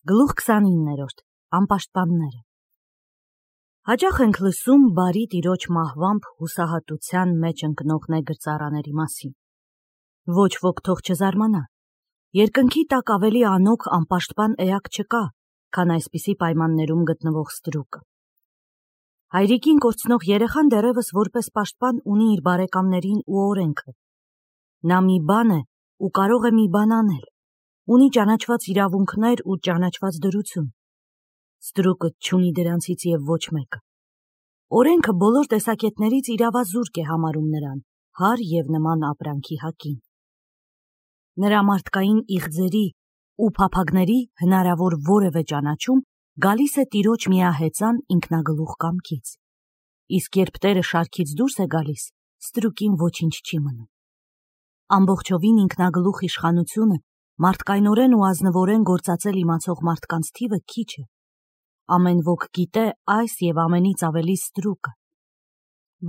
Գլուխ 29-րդ Անպաշտպանները Հաճախ ենք լսում բարի տիրոջ մահվամբ հուսահատության մեջ ընկնող նեգր ծառաների մասին։ Ոչ ոք թող չզարմանա։ Երկնքի տակ ավելի անոք անպաշտպան էակ չկա, քան այսպիսի պայմաններում գտնվող ստրուկը։ Հայրիկին կորցնող երեխան դեռևս որպես պաշտպան ունի իր բարեկամներին ու օրենքը։ Նա մի բան է ու կարող է մի բան անել։ Ունի ճանաչված իրավունքներ ու ճանաչված դրություն։ Ստրուկը չունի դրանցից և ոչ մեկը։ Օրենքը բոլոր տեսակետներից իրավազուրկ է համարում նրան, հար և նման ապրանքի հակին։ Նրա մարդկային իղձերի ու փափագների հնարավոր որևէ ճանաչում գալիս է տիրոջ միահեծան ինքնագլուխ կամքից։ Իսկ երբ տերը շարքից դուրս է գալիս, ստրուկին ոչինչ չի մնում։ Ամբողջովին ինքնագլուխ իշխանությունը մարդկայնորեն ու ազնվորեն գործածել իմացող մարդկանց թիվը քիչ է։ Ամեն ոք գիտե այս և ամենից ավելի ստրուկը։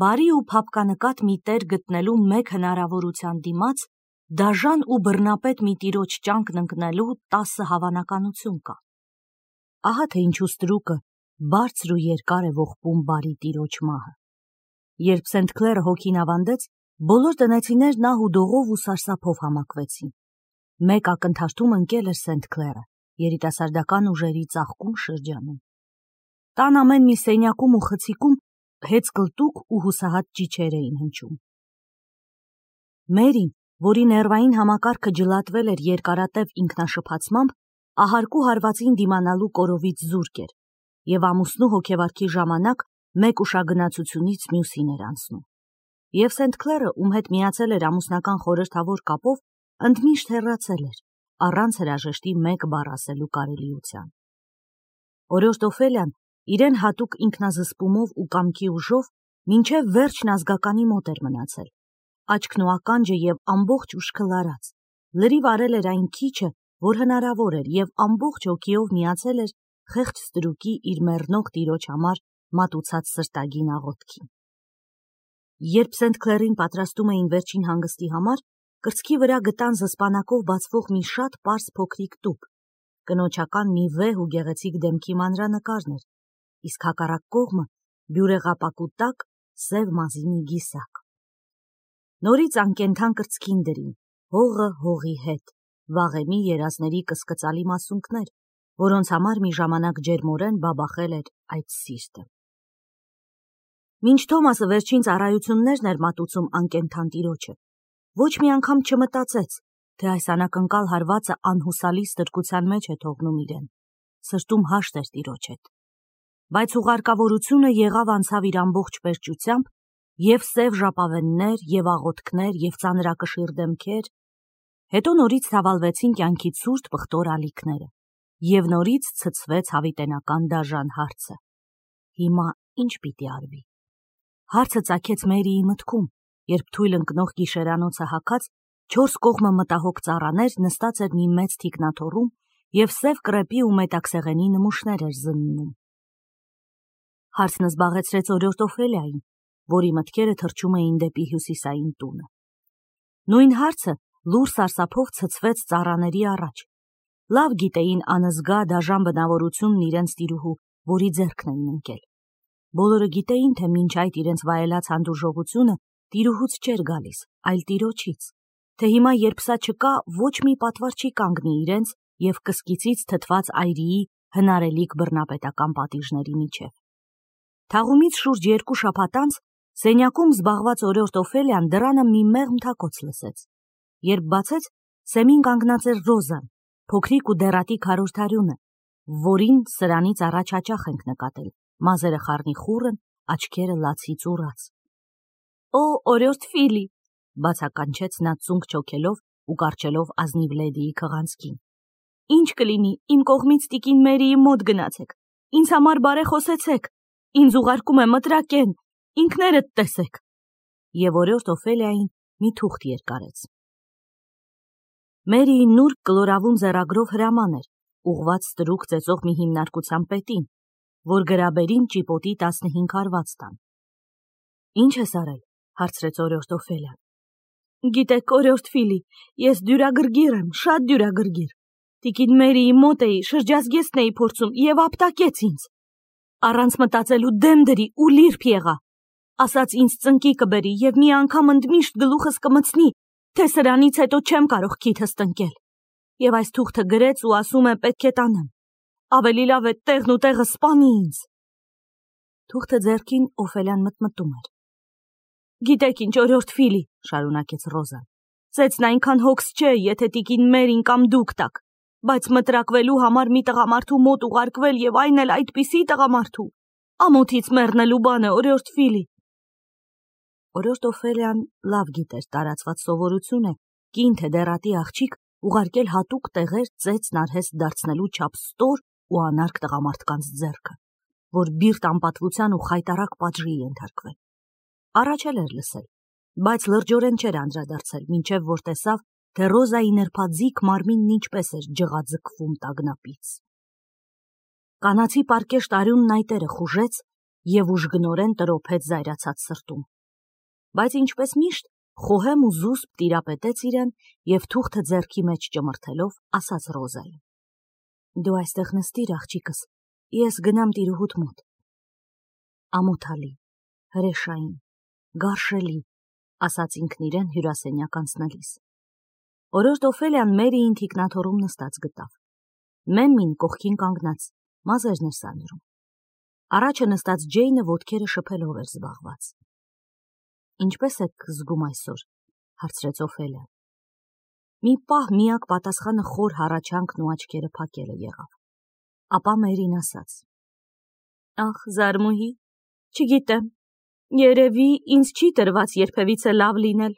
Բարի ու փափկանկատ մի տեր գտնելու մեկ հնարավորության դիմաց դաժան ու բռնապետ մի տիրոջ ճանկն ընկնելու 10 հավանականություն կա։ Ահա թե ինչու ստրուկը բարձր ու երկար է ողբում բարի տիրոջ մահը։ Երբ Սենթ Քլերը հոգին ավանդեց, բոլոր տնեցիներն ահ ու դողով ու սարսափով համակվեցին։ Մեկ ակնթարթում ընկել էր Սենթ Քլերը երիտասարդական ուժերի ծաղկուն շրջանում։ Տան ամեն մի սենյակում ու խցիկում հեծկլտուկ ու հուսահատ ճիչեր էին հնչում։ Մերին, որի ներվային համակարգը ջլատվել էր երկարատև ինքնաշփացմամբ, ահարկու հարվածին դիմանալու կորովից զուրկ էր, և ամուսնու հոգեվարքի ժամանակ մեկ ուշագնացությունից մյուսին էր անցնում։ Եվ Սենթ Քլերը, ում հետ միացել էր ամուսնական խորհրդավոր կապով, ընդմիշտ հեռացել էր, առանց հրաժեշտի մեկ բառ ասելու կարելիության։ Օրիորդ Օֆելիան իրեն հատուկ ինքնազսպումով ու կամքի ուժով մինչև վերջն ազգականի մոտ էր մնացել, աչքն ու ականջը և ամբողջ ուշքը լարած, լրիվ արել էր այն քիչը, որ հնարավոր էր, և ամբողջ հոգիով միացել էր խեղճ ստրուկի իր մեռնող տիրոջ համար մատուցած սրտագին աղոթքին։ Երբ Սենթ Քլերին պատրաստում էին վերջին հանգստի համար, կրծքի վրա գտան զսպանակով բացվող մի շատ պարզ փոքրիկ տուփ, կնոջական մի վեհ ու գեղեցիկ դեմքի մանրանկարն էր, իսկ հակառակ կողմը բյուրեղապակու տակ սև մազի մի գիսակ։ Նորից անկենդան կրծքին դրին, հողը հողի հետ, վաղեմի երազների կսկծալի մասունքներ, որոնց համար մի ժամանակ ջերմորեն բաբախել էր այդ սիրտը։ Մինչ Թոմասը վերջին ծառայություններն էր մատուցում անկենդան տիրոջը, ոչ մի անգամ չմտածեց, թե այս անակնկալ հարվածը անհուսալի ստրկության մեջ է թողնում իրեն, սրտում հաշտ էր տիրոջ հետ։ Բայց ուղարկավորությունը եղավ անցավ իր ամբողջ պերճությամբ, և սև ժապավեններ, և աղոթքներ, և ծանրակշիռ դեմքեր, հետո նորից թավալվեցին կյանքի ցուրտ պղտոր ալիքները, և նորից ցցվեց հավիտենական դաժան հարցը. հիմա ինչ պիտի արվի։ Հարցը ծագեց Մերիի մտքում, երբ թույլ ընկնող գիշերանոցը հագած 4 կողմը մտահոգ ծառաներ նստած էր մի մեծ թիկնաթոռում և սև կրեպի ու մետաքսեղենի նմուշներ էր զննում։ Հարցն զբաղեցրեց օրիորդ Օֆելիային, որի մտքերը թռչում էին դեպի հյուսիսային տունը։ Նույն հարցը լուռ սարսափով ցցվեց ծառաների առաջ։ Լավ գիտեին անզգա դաժան բնավորությունն իրենց տիրուհու, որի ձեռքն էին ընկել։ Բոլորը գիտեին, թե մինչ այդ իրենց վայելած հանդուրժողությունը տիրուհուց չէր գալիս, այլ տիրոջից, թե հիմա, երբ սա չկա, ոչ մի պատվար չի կանգնի իրենց և կսկիցից թթված այրիի հնարելիք բռնապետական պատիժների միջև։ Թաղումից շուրջ 2 շաբաթ անց սենյակում զբաղված օրիորդ Օֆելիան դռանը մի մեղմ թակոց լսեց։ Երբ բացեց, սեմին կանգնած էր Ռոզան, փոքրիկ ու դեռատի քարորթարյունը, որին սրանից առաջ հաճախ ենք նկատել, մազերը խառնիխուռն, աչքերը լացից ուռած։ «Օ, օրիորդ Ֆիլի», բացականչեց նա ծունկ չոքելով ու կառչելով ազնիվ լեդիի քղանցքին։ «Ինչ կլինի, իմ կողմից տիկին Մերիի մոտ գնացեք, ինձ համար բարեխոսեցեք, ինձ ուղարկում է մտրակեն, ինքներդ տեսեք»։ Եվ օրիորդ Օֆելիային մի թուղթ երկարեց։ Մերիի նուրբ կլորավուն ձեռագրով հրաման էր, ուղված ստրուկ ծեծող մի հիմնարկության պետին, որ գրաբերին ճիպոտի 15 հարված տան։ «Ինչ ես արել», հարցրեց օրիորդ Օֆելիան։ «Գիտեք, օրիորդ Ֆիլի, ես դյուրագրգիռ եմ, շատ դյուրագրգիռ։ Տիկին Մերիի մոտ էի, շրջազգեստն էի փորձում եւ ապտակեց ինձ։ Առանց մտածելու դեմ դրի ու լիրբ եղա։ Ասաց ինձ ծնկի կբերի եւ մի անգամ ընդմիշտ գլուխս կմցնի, թե սրանից հետո չեմ կարող քիթս տնկել։ Եվ այս թուղթը գրեց ու ասում է պետք է տանեմ։ Ավելի լավ է տեղն ու տեղը սպանի ինձ։ Թուղթը ձեռքին Օֆելիան մտմտում էր։ Գիտեք ինչ, օրորդ Ֆիլի, շարունակեց Ռոզան, ծեծն այնքան հոգս չէ, եթե տիկին Մերին կամ դուք տաք, բայց մտրակվելու համար մի տղամարդու մոտ ուղարկվել եւ այն էլ այդպիսի տղամարդու, ամոթից մեռնելու բան է, օրորդ Ֆիլի։ Օրորդ Օֆելիան լավ գիտեր տարածված սովորություն է կին թե դեռատի աղջիկ ուղարկել հատուկ տեղեր ծեծն արհեստ դարձնելու չափ ստոր ու անարգ տղամարդկանց ձեռքը, որ բիրտ անպատվության ու խայտարակ պատժի ենթարկվեն։ Առաջել էր լսել, բայց լրջորեն չէր անդրադարձել, մինչև որ տեսավ, թե Ռոզայի նրբաձիգ մարմինն ինչպես էր ջղաձգվում տագնապից։ Կանացի պարկեշտ արյունն այտերը խուժեց եւ ուժգնորեն տրոփեց զայրացած սրտում։ Բայց ինչպես միշտ խոհեմ ու զուսպ տիրապետեց իրեն եւ թուղթը ձեռքի մեջ ճմրթելով ասաց Ռոզային. Դու այստեղ նստիր, աղջիկս, ես գնամ տիրուհուդ մոտ։ Ամոթալի, հրեշային, գարշելի, ասաց ինքն իրեն հյուրասենյակ անցնելիս։ Օրորդ Օֆելիան Մերիին թիկնաթոռում նստած գտավ։ Մեմմին կողքին կանգնած, մազերն էր սանրում։ Առաջը նստած Ջեյնը ոտքերը շփելով էր զբաղված։ Ինչպես եք զգում այսօր, հարցրեց Օֆելիան։ Մի պահ միակ պատասխանը խոր հառաչանքն ու աչքերը փակելը եղավ։ Ապա Մերին ասաց. Ախ, զարմուհի, չգիտեմ, երևի ինձ չի տրված երբևիցե լավ լինել։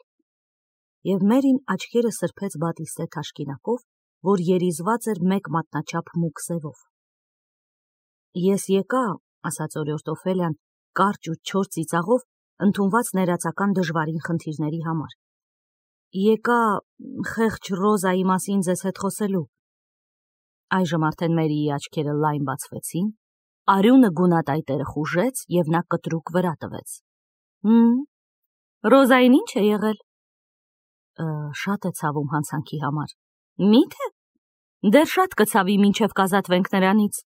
Եվ Մերին աչքերը սրբեց բատիստե թաշկինակով, որ երիզված էր մեկ մատնաչափ մուգ սևով։ Ես եկա, ասաց օրորդ Օֆելիան, կարճ ու չոր ծիծաղով, ընդունված ներածական դժվարին խնդիրների համար։ Եկա խեղճ Ռոզայի մասին ձեզ հետ խոսելու։ Այժմ արդեն Մերիի աչքերը լայն բացվեցին, արյունը գունատայտերը խուժեց եւ նա կտրուկ վրա տվեց։ Ռոզային ինչ է եղել։ Շատ է ցավում հանցանքի համար։ Մի՞թե։ Դեռ շատ կցավի մինչև կազատվենք նրանից։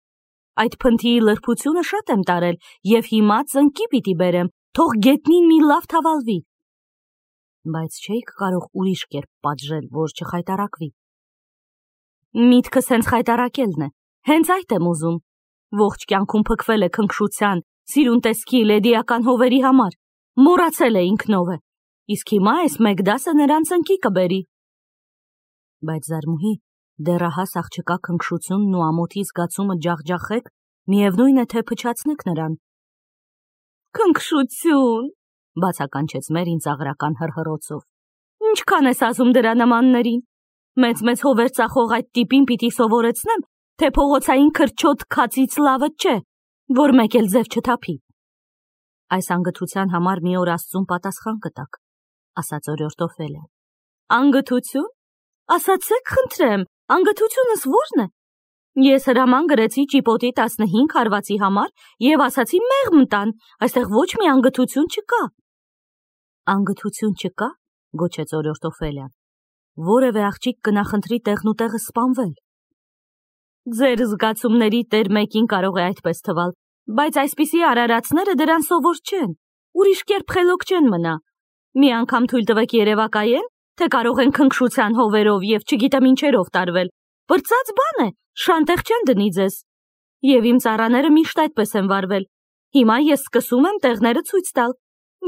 Այդ փնթիի լրբությունը շատ եմ տարել եւ հիմա ծնկի պիտի բերեմ, թող գետնին մի լավ թավալվի։ Բայց չէիք կարող ուրիշ կերպ պատժել, որ չխայտարակվի։ Միտքս հենց խայտարակելն է, հենց այդ եմ ուզում։ Ողջ կյանքում փքվել է քնքշության, սիրուն տեսքի լեդիական հովերի համար, մոռացել է ինքնով է, իսկ հիմա այս մեկ դասը նրան ծնկի կբերի։ Բայց զարմուհի, դեռահաս աղջկա քնքշությունն ու ամոթի զգացումը ջախջախեք, միևնույն է թե փչացնեք նրան։ Քնքշություն, բացականչեց Մերին ծաղրական հռհռոցով։ Ինչքան ես ասում դրա նմաններին։ Մեծ հովեր ծախող այդ տիպին պիտի սովորեցնեմ, թե փողոցային քրչոտ քացից լավը չէ, որ մեկ էլ ձև չթափի։ Այս անգթության համար մի օր Աստծուն պատասխան կտաք, ասաց օրորդ Օֆելիան։ Անգթություն։ Ասացեք, խնդրեմ, անգթությունս ո՞րն է։ Ես հրաման գրեցի ճիպոտի 15 հարվածի համար եւ ասացի մեղմ տան, այստեղ ոչ մի անգթություն չկա։ Անգթություն չկա, գոչեց օրորդ Օֆելիան։ Որևէ աղջիկ կնախընտրի տեղն ու տեղը սպանվել։ Ձեր զգացումների տեր մեկին կարող է այդպես թվալ, բայց այսպիսի արարածները դրան սովոր չեն, ուրիշ կերպ խելոք չեն մնա։ Մի անգամ թույլ տվեք երևակայեն, թե կարող են քնքշության հովերով եւ չգիտեմ ինչերով տարվել։ Բրծած բան է, շանտեղ չեն դնի ձեզ։ Եվ իմ ծառաները միշտ այդպես են վարվել։ Հիմա ես սկսում եմ տեղները ցույց տալ։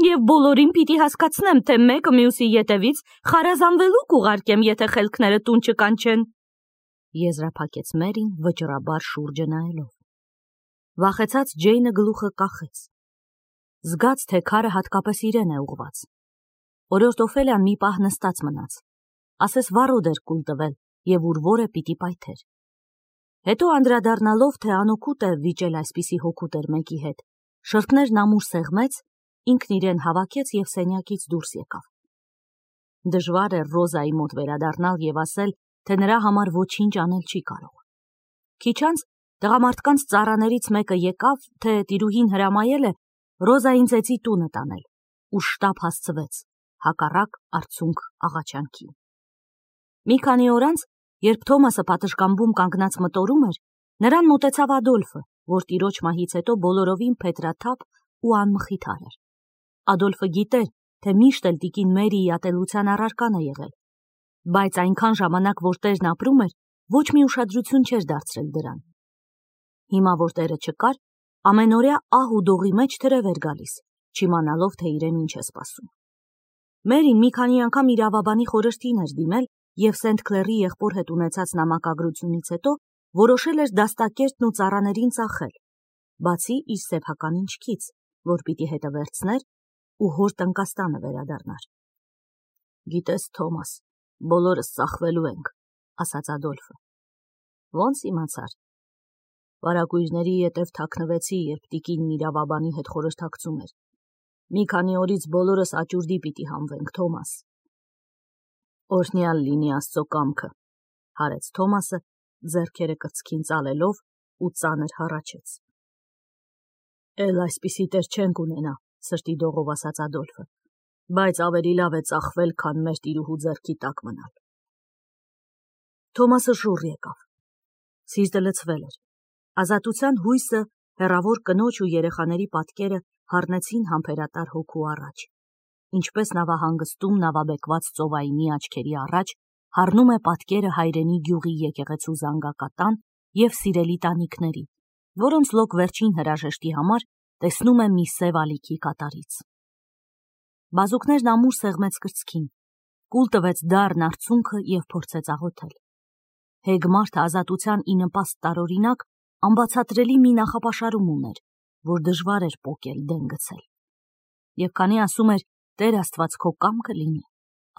Եվ բոլորին պիտի հասկացնեմ, թե մեկը մյուսի ետևից խարազանվելու կուղարկեմ, եթե խելքները տուն չկանչեն։ Եզրափակեց Մերին վճռաբար շուրջը նայելով։ Վախեցած Ջեյնը գլուխը կախեց։ Զգաց, թե քարը հատկապես իրեն է ուղված։ Օրորդ Օֆելիան մի պահ նստած մնաց։ Ասես վառոդ էր կուլ տվել եւ ուր որը պիտի պայթեր։ Հետո անդրադառնալով, թե անօգուտ է վիճել այսպիսի հոգուտեր մեկի հետ, շրթներն ամուր սեղմեց, ինքն իրեն հավաքեց եւ սենյակից դուրս եկավ։ Դժվար է Ռոզայի մոտ վերադառնալ եւ ասել, թե նրա համար ոչինչ անել չի կարող։ Քիչ անց տղամարդկանց ծառաներից մեկը եկավ, թե տիրուհին հրամայել է Ռոզային ծեծի տունը տանել, ու շտապ հասցվեց, հակառակ արցունք աղաչանքի։ Մի քանի օր անց Երբ Թոմասը պատշգամբում կանգնած մտորում էր, նրան մոտեցավ Ադոլֆը, որ տիրոջ մահից հետո բոլորովին փետրաթափ ու անմխիթար էր։ Ադոլֆը գիտեր, թե միշտ էլ տիկին Մերիի ատելության առարկան է եղել, բայց այնքան ժամանակ, որ տերն ապրում էր, ոչ մի ուշադրություն չէր դարձրել դրան։ Հիմա, որ տերը չկար, ամենօրյա ահ ու դողի մեջ թրև էր գալիս, չիմանալով, թե իրեն ինչ է սպասում։ Մերին մի քանի անգամ իրավաբանի խորհրդին էր դիմել և Սենթ Քլերի եղբոր հետ ունեցած նամակագրությունից հետո որոշել էր դաստակերտն ու ծառաներին ծախել, բացի իր սեփական ինչքից, որ պիտի հետը վերցներ ու հոր տնկաստանը վերադառնար։ Գիտես, Թոմաս, բոլորս ծախվելու ենք, ասաց Ադոլֆը։ Ոնց իմացար։ Վարագույրների ետև թաքնվեցի, երբ տիկինն իրավաբանի հետ խորհրդակցում էր։ Մի քանի օրից բոլորս աճուրդի պիտի հանվենք, Թոմաս։ Օրհնյալ լինի Աստծո կամքը, հարեց Թոմասը, ձեռքերը կրծքին ծալելով ու ծանր հառաչեց։ Էլ այսպիսի տեր չենք ունենա, սրտի դողով ասաց Ադոլֆը, բայց ավելի լավ է ծախվել, քան մեր տիրուհու ձեռքի տակ մնալ։ Թոմասը շուռ եկավ։ Սիրտը լցվել էր։ Ազատության հույսը, հեռավոր կնոջ ու երեխաների պատկերը հառնեցին համբերատար հոգու առաջ։ Ինչպես նավահանգստում նավաբեկված ծովայինի աչքերի առաջ հառնում է պատկերը հայրենի գյուղի եկեղեցու զանգակատան և սիրելի տանիքների, որոնց լոկ վերջին հրաժեշտի համար տեսնում է մի սև ալիքի կատարից։ Բազուկներն ամուր սեղմեց կրծքին, կուլ տվեց դառն արցունքը և փորձեց աղոթել։ Հեգ մարդը ազատության ի նպաստ տարօրինակ անբացատրելի մի նախապաշարում ուներ, որ դժվար էր պոկել դեն գցել։ Եվ քանի ասում էր Տեր Աստված քո կամքը լինի,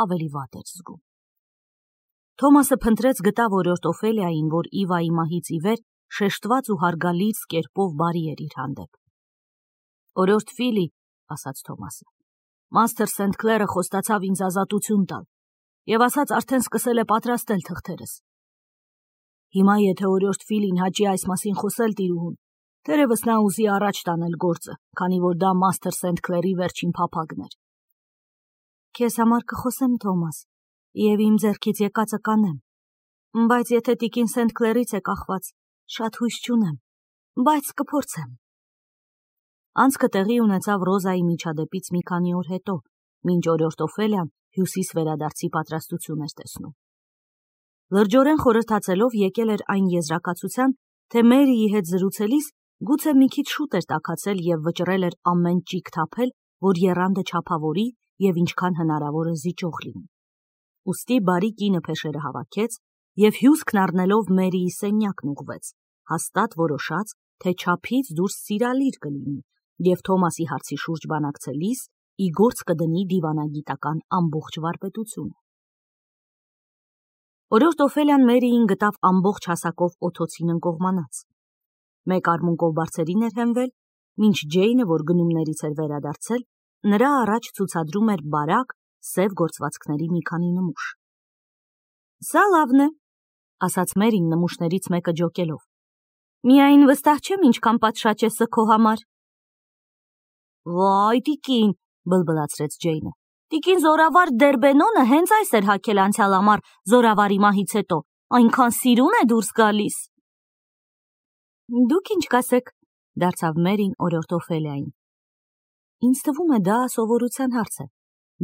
ավելի վատ էր զգում։ Թոմասը փնտրեց գտավ օրիորդ Օֆելիային, որ Իվայի մահից ի վեր շեշտված ու հարգալից կերպով բարի էր իր հանդեպ։ Օրիորդ Ֆիլի, ասաց Թոմասը, Մաստեր Սենթ Քլերը խոստացավ ինձ ազատություն տալ և ասաց արդեն սկսել է պատրաստել թղթերս։ Հիմա եթե օրիորդ Ֆիլին հաճի այս մասին խոսել տիրուհուն, թերևս նա ուզի առաջ տանել գործը, քանի որ դա Մաստեր Սենթ Քլերի վերջին փափագն էր։ Քեզ համար կխոսեմ, Թոմաս, և իմ ձեռքից եկածը կանեմ, բայց եթե տիկին Սենթ Քլերից է կախված, շատ հույս չունեմ, բայց կփորձեմ։ Անցքը տեղի ունեցավ Ռոզայի միջադեպից մի քանի օր հետո, մինչ օրիորդ Օֆելիան Հյուսիս վերադարձի պատրաստություն էր տեսնում։ Լրջորեն խորհրդացելով եկել էր այն եզրակացության, թե Մերիի հետ զրուցելիս գուցե մի քիչ շուտ էր տաքացել և վճռել էր ամեն ճիգ թափել, որ եռանդը չափավորի և ինչքան հնարավոր է զիջող լինի։ Ուստի բարի կինը փեշերը հավաքեց և հյուսքն առնելով Մերիի սենյակն ուղղվեց, հաստատ որոշած, թե չափից դուրս սիրալիր կլինի և Թոմասի հարցի շուրջ բանակցելիս ի գործ կդնի դիվանագիտական ամբողջ վարպետությունը։ Օրիորդ Օֆելիան Մերիին գտավ ամբողջ հասակով օթոցին ընկողմանած։ Մեկ արմունկով բարձերին էր հենվել, մինչ Ջեյնը, որ գնումներից էր վերադարձել, նրա առաջ ցուցադրում էր բարակ, սև գործվածքների մի քանի նմուշ։ Սա լավն է, ասաց Մերին նմուշներից մեկը ջոկելով։ Միայն վստահ չեմ ինչքան պատշաճ է սը քո համար։ Վայ, տիկին, բլբլացրեց Ջեյնը։ Տիկին զորավար Դերբենոնը հենց այս էր հագել անցյալ ամառ զորավարի մահից հետո, այնքան սիրուն է դուրս գալիս։ Դուք ինչ կասեք, դարձավ Մերին օրիորդ Օֆելիային։ Ինձ թվում է դա սովորության հարց է։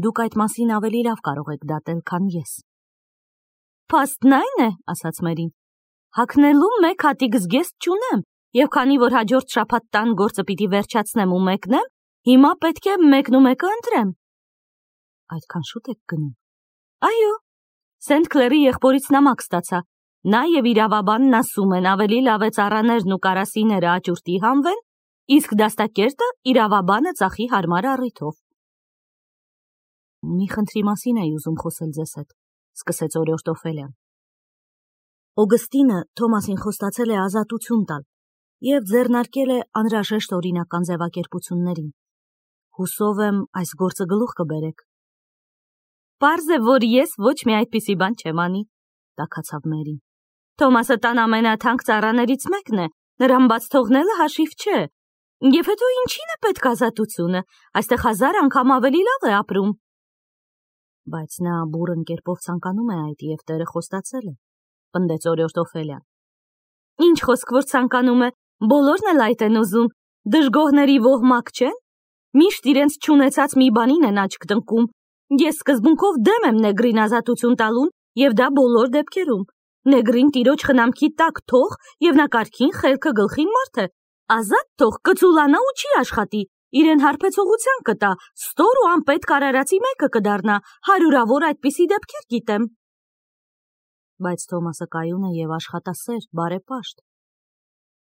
Դուք այդ մասին ավելի լավ կարող եք դատել, քան ես։ Փաստն այն է, ասաց Մերին, հագնելու մեկ հատիկ զգեստ չունեմ, և քանի որ հաջորդ շաբաթ տան գործը պիտի վերջացնեմ ու մեկնեմ, հիմա պետք է մեկն ու մեկը ընտրեմ։ Այդքան շուտ եք գնում։ Այո, Սենթ Քլերի եղբորից նամակ ստացա։ Նա և իրավաբանն ասում են ավելի լավ է ծառաներն ու կարասիները աճուրդի հանվեն, իսկ դաստակերտը իրավաբանը ծախի հարմար առիթով։ Մի խնդրի մասին էի ուզում խոսել ձեզ հետ, սկսեց օրիորդ Օֆելիան։ Օգստինը Թոմասին խոստացել է ազատություն տալ և ձեռնարկել է անհրաժեշտ օրինական ձևակերպություններին։ Հուսով եմ այս գործը գլուխ կբերեք։ Պարզ է, որ ես ոչ մի այդպիսի բան չեմ անի, տաքացավ Մերին։ Թոմասը տան ամենաթանկ ծառաներից մեկն է, նրան բաց թողնելը հաշիվ չէ։ Եվ հետո ինչին է պետք ազատությունը, այստեղ 1000 անգամ ավելի լավ է ապրում։ Բայց նա բուռն կերպով ցանկանում է այդ և տերը խոստացել է։ պնդեց օրիորդ Օֆելիան։ Ինչ խոսք որ ցանկանում է, բոլորն էլ այդ են ուզում, դժգոհների ոհմակ չեն, միշտ իրենց չունեցած մի բանին են աչք տնկում։ Ես սկզբունքով դեմ եմ նեգրին ազատություն տալուն եւ դա բոլոր դեպքերում։ Նեգրին տիրոջ խնամքի տակ թող եւ նա կարգին խելքը գլխին մարդ է, ազատ թող կծուլանա ու չի աշխատի, իրեն հարբեցողության կտա, ստոր ու անպետք արարածի մեկը կդառնա, հարյուրավոր այդպիսի դեպքեր գիտեմ։ Բայց Թոմասը կայուն է եւ աշխատասեր, բարեպաշտ։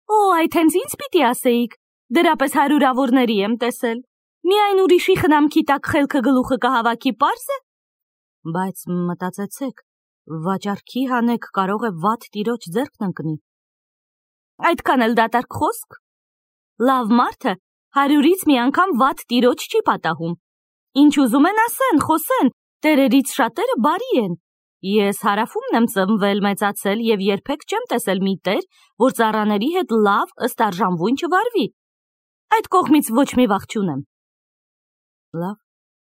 Օ, այդ հենց ինձ պիտի ասեիք, դրապես հարյուրավորների եմ տեսել։ Միայն ուրիշի խնամքի տակ խելքը գլուխը կհավաքի պարզ է։ Բայց մտածեցեք, վաճառքի հանեք կարող է վատ տիրոջ ձեռքն ընկնի։ Այդքան էլ դատարկ խոսք։ Լավ մարդը 100-ից մի անգամ վատ տիրոջ չի պատահում։ Ինչ ուզում են ասեն, խոսեն, տերերից շատերը բարի են։ Ես հարավում եմ ծնվել, մեծացել եւ երբեք չեմ տեսել մի տեր, որ ծառաների հետ լավ ըստ արժանվույն չվարվի։ Այդ կողմից ոչ մի վախ չունեմ։ Լավ,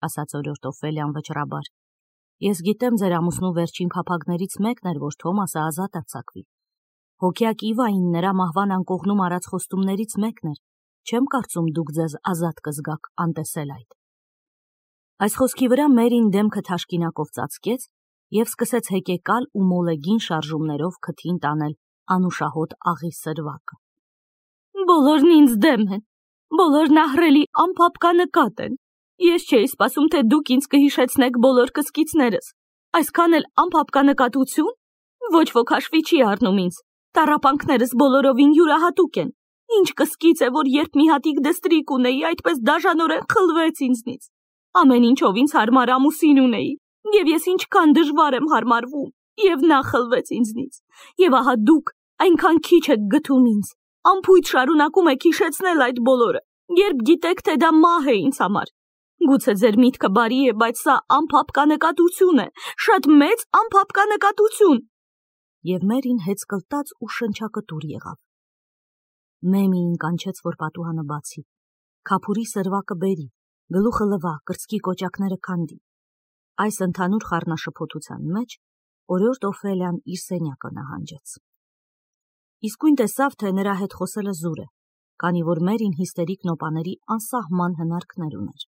ասաց օրիորդ Օֆելիան վճռաբար։ Ես գիտեմ ձեր ամուսնու վերջին փափագներից մեկն էր, որ Թոմասը ազատ արձակվի։ Հոգյակ Իվային նրա մահվան անկողնում արած խոստումներից մեկն էր։ Չեմ կարծում դուք ձեզ ազատ կզգաք անտեսել այդ։ Այս խոսքի վրա Մերին դեմքը թաշկինակով ծածկեց եւ սկսեց հեկեկալ ու մոլեգին շարժումներով քթին տանել անուշահոտ աղի սրվակը։ Բոլորն ինձ դեմ են, բոլորն ահռելի անփափկանկատ են։ Ես չէի սպասում, թե դուք ինձ կհիշեցնեք բոլոր կսկիցներս։ Այսքան էլ անփափկանկատություն, ոչ ոք հաշվի չի առնում ինձ։ Տառապանքներս բոլորովին յուրահատուկ են։ Ինչ կսկից է, որ երբ մի հատիկ դստրիկ ունեի, այդպես դաժանորեն խլվեց ինձնից։ Ամեն ինչով ինձ հարմար ամուսին ունեի, եւ ես ինչքան դժվար եմ հարմարվում, եւ նա խլվեց ինձնից։ Եվ ահա դուք այնքան քիչ եք գթում ինձ, անփույթ շարունակում եք հիշեցնել այդ բոլորը, երբ գիտեք, թե դա մահ է ինձ համար։ Գուցե ձեր միտքը բարի է, բայց սա անփափկանկատություն է, շատ մեծ անփափկանկատություն։ Եվ Մերին հեծկլտած ու շնչակտուր եղավ։ Մեմիին կանչեց, որ պատուհանը բացի, քափուրի սրվակը բերի, գլուխը լվա, կրծքի կոճակները քանդի։ Այս ընդհանուր խառնաշփոթության մեջ օրիորդ Օֆելիան իր սենյակը նահանջեց։ Իսկույն տեսավ, թե նրա հետ խոսելը զուր է, քանի որ Մերին հիստերիկ նոպաների անսահման հնարքներ ուներ։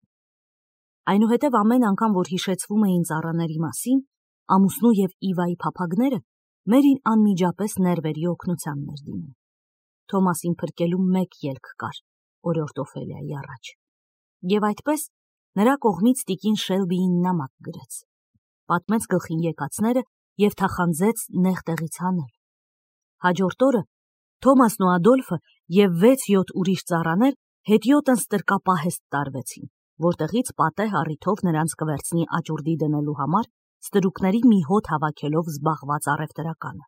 Այնուհետև ամեն անգամ, որ հիշեցվում էին ծառաների մասին, ամուսնու եւ Իվայի փափագները, Մերին անմիջապես ներվերի օգնության էր դիմում։ Թոմասին փրկելու մեկ ելք կար օրիորդ Օֆելիայի առաջ։ Եվ այդպես նրա կողմից տիկին Շելբիին նամակ գրեց, պատմեց գլխին եկածները եւ թախանձեց նեղ տեղից հանել։ Հաջորդ օրը Թոմասն ու Ադոլֆը եւ 6-7 ուրիշ ծառաներ հետիոտն ստրկապահեստ տարվեցին, որտեղից պատեհ առիթով նրանց կվերցնի աճուրդի դնելու համար ստրուկների մի հոտ հավաքելով զբաղված առևտրականը։